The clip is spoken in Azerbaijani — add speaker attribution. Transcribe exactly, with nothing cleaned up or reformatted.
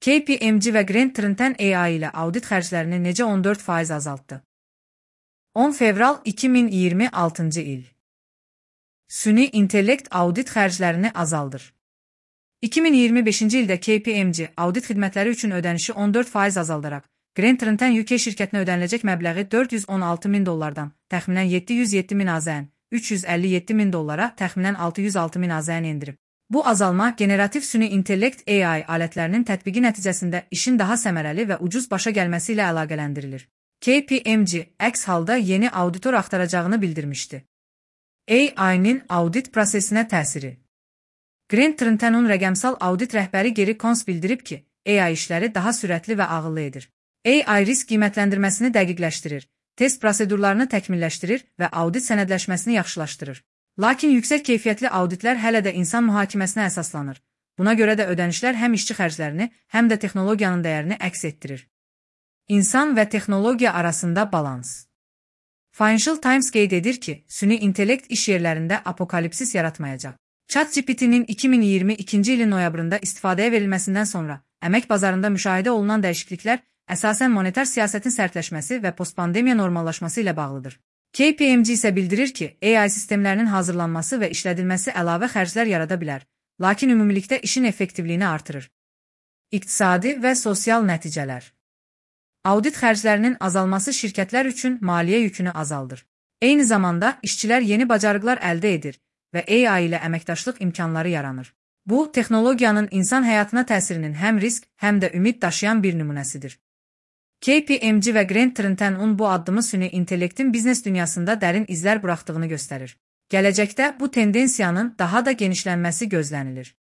Speaker 1: K P M G və Grant Thornton A I ilə audit xərclərini necə on dörd faiz azaltdı? on fevral iki min iyirmi altıncı il. Süni intellekt audit xərclərini azaldır. iki min iyirmi beşinci ildə K P M G audit xidmətləri üçün ödənişi on dörd faiz azaldaraq, Grant Thornton U K şirkətinə ödəniləcək məbləği dörd yüz on altı min dollardan təxminən yeddi yüz yeddi min AZN, üç yüz əlli yeddi min dollara təxminən altı yüz altı min AZN endirib. Bu azalma generativ süni intellekt A I alətlərinin tətbiqi nəticəsində işin daha səmərəli və ucuz başa gəlməsi ilə əlaqələndirilir. K P M G əks halda yeni auditor axtaracağını bildirmişdi. A I-nin audit prosesinə təsiri. Grant Thornton'un rəqəmsal audit rəhbəri Gary Kons bildirib ki, A I işləri daha sürətli və ağıllı edir. A I risk qiymətləndirməsini dəqiqləşdirir, test prosedurlarını təkmilləşdirir və audit sənədləşməsini yaxşılaşdırır. Lakin yüksək keyfiyyətli auditlər hələ də insan mühakiməsinə əsaslanır. Buna görə də ödənişlər həm işçi xərclərini, həm də texnologiyanın dəyərini əks etdirir. İnsan və texnologiya arasında balans. Financial Times qeyd edir ki, süni intellekt iş yerlərində apokalipsis yaratmayacaq. ChatGPT-nin iki min iyirmi ikinci ilin noyabrında istifadəyə verilməsindən sonra əmək bazarında müşahidə olunan dəyişikliklər əsasən monetar siyasətin sərtləşməsi və postpandemiya normallaşması ilə bağlıdır. K P M G isə bildirir ki, A I sistemlərinin hazırlanması və işlədilməsi əlavə xərclər yarada bilər, lakin ümumilikdə işin effektivliyini artırır. İqtisadi və sosial nəticələr. Audit xərclərinin azalması şirkətlər üçün maliyyə yükünü azaldır. Eyni zamanda işçilər yeni bacarıqlar əldə edir və A I ilə əməkdaşlıq imkanları yaranır. Bu, texnologiyanın insan həyatına təsirinin həm risk, həm də ümid daşıyan bir nümunəsidir. K P M G və Grant Thornton'un bu addımı süni intellektin biznes dünyasında dərin izlər buraxdığını göstərir. Gələcəkdə bu tendensiyanın daha da genişlənməsi gözlənilir.